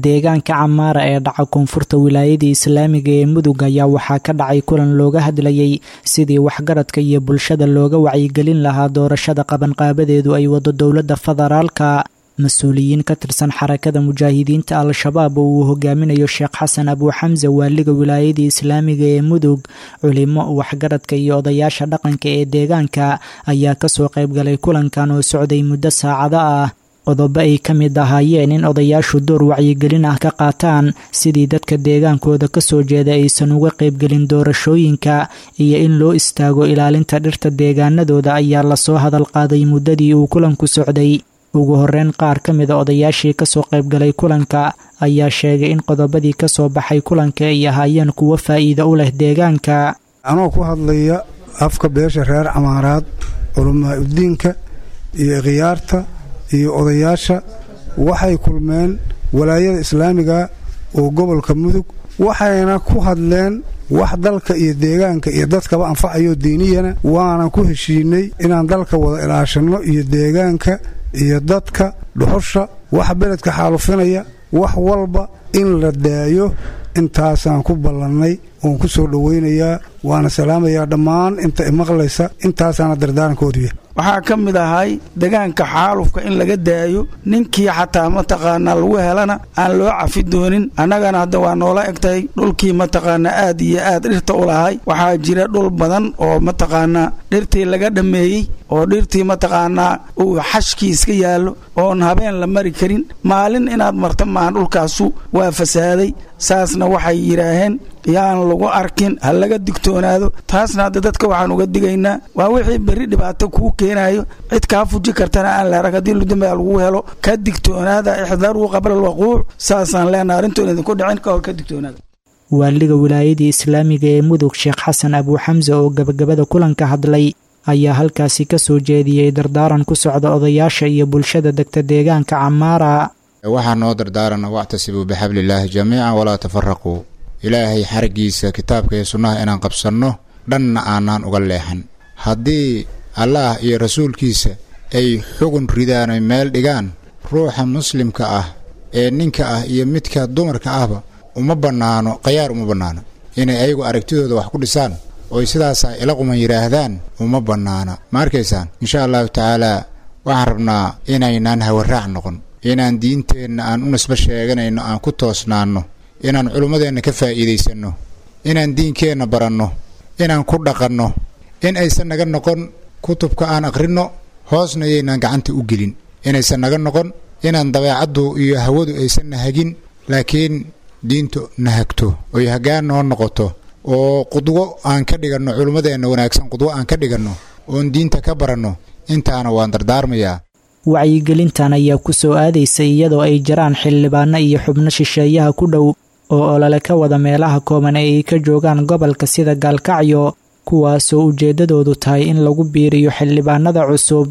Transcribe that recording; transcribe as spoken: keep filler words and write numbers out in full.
Deegaanka Camaara ee dhaca koonfurta wilaayada islaamiga ee Mudug ayaa waxaa ka dhacay kulan looga hadlayay sidii waxgaradka iyo bulshada looga wacyigelin lahaa doorashada qabanqaabadeedu ay wado dowladda federaalka. Mas-uuliyiin ka tirsan Xarakada Mujaahidiinta Al-Shabaab oo uu hogaaminayo Sheekh Xasan Abuuxamse, waaliga wilaayada islaamiga ee Mudug, culimo, waxgaradka iyo odayaasha dhaqanka ee deegaanka ayaa kasoo qaybgalay kulankan oo socday muddo saacado ah. Qodobo ay ka mid ahaayeen in odayaashu door wacyigelin ah ka qaataan sidii dadka deegaankooda kasoo jeeda aysan uga qaybgelin doorashooyinka iyo in loo istaago ilaalinta dhirta deegaanadooda ayaa lasoo hadal qaaday muddadii uu kulanku socday. Ugu horeyn, qaar ka mida odayaashii kasoo qaybgalay kulanka ayaa sheegay in qodobadii kasoo baxay kulanka ay ahaayeen kuwo faa'iido u leh deegaanka. Anoo ku hadlaya afka beesha reer Camaaraad, culamaa udiinka iyo khiyaarta iyo odayaasha, waxay kulmeen walaayada islaamiga oo gobolka Mudug, waxayna ku hadleen wax dalka iyo deegaanka iyo dadkaba anfacayo diiniyana, waana ku heshiinay inaan dalka wada ilaashanno iyo deegaanka iyo dadka, dhuxusha, wax beledka xaalufinaya, wax walba in la daayo. Intaasaan ku ballannay oon ku soo dhowaynayaa, waana salaamayaa dhammaan inta imaqlaysa. Intaasaana dardaarankoodiya. Waxaa ka mid ahay degaanka xaalufka in laga daayo, ninkii xataa mataqaanaa lagu helana aan loo cafi doonin. Annagana hadda waa noola egtahay dhulkii mataqaanaa aad iyo aad dhirta u lahay. Waxaa jira dhul badan oo mataqaanaa dhirtii laga dhammeeyey oo dhirtii mataqaanaa uu xashkii iska yaallo oon habeen la mari karin, maalin inaad marta maahan, dhulkaasu waa fasaaday. Saasna waxay yidhaaheen yaan lagu arkin, ha laga digtoonaado. Taasna hadda dadka waxaan uga digaynaa waa wixii berri dhibaato kuu keenayo, cid kaa fuji kartana aan la arag haddii ludambaa lagu helo. Ka digtoonaada, ixdaruu qabla alwaquuc, saasaan leenaha, arrintoon idinku dhicin ka hor ka digtoonaada. Waaliga wilaayadii islaamiga ee Mudug, Sheekh Xasan Abuuxamse, oo gabagabada kulanka hadlay ayaa halkaasi kasoo jeediyey dardaaran ku socda odayaasha iyo bulshada degta deegaanka Camaara. Waxaa noo dardaarana wactasibuu bixablillaahi jamiican walaa tafaraquu, Ilaahay xariggiisa kitaabka iyo sunnaha inaan qabsanno, dhanna aanaan uga leexan. Haddii Allaah iyo rasuulkiisa ay xugun ridaan oy meel dhigaan, ruuxa muslimka ah ee ninka ah iyo midka dumarka ahba uma bannaano khayaar, uma bannaano inay ayagu aragtidooda wax ku dhisaan oy sidaasaa ila quman yidhaahdaan, uma bannaana. Ma arkaysaan? Insha allahu tacaalaa waxaan rabnaa inaynaan hawaraac noqon, inaan diinteenna aan u nisbo sheeganayno aan ku toosnaanno, inaan culummadeenna ka faa'iidaysanno, inaan diinkeenna baranno, inaan ku dhaqanno, in aysan naga noqon kutubka aan akhrinno hoosna yaynaan gacanta u gelin, inaysan naga noqon inaan dabeecaddu iyo hawadu aysan na hagin, laakiin diintu na hagto oy haggaan noo noqoto, oo qudwo aan ka dhiganno culummadeenna wanaagsan, qudwo aan ka dhiganno oon diinta ka baranno. Intaana waan dardaarmayaa. Wacyigelintan ayaa ku soo aadaysa iyadoo ay jiraan xildhibaano iyo xubno shisheeyaha ku dhow oo olole ka wada meelaha kooban ee ay ka joogaan gobolka sida Gaalkacyo, kuwaasoo ujeeddadoodu tahay in lagu biiriyo xildhibaanada cusub.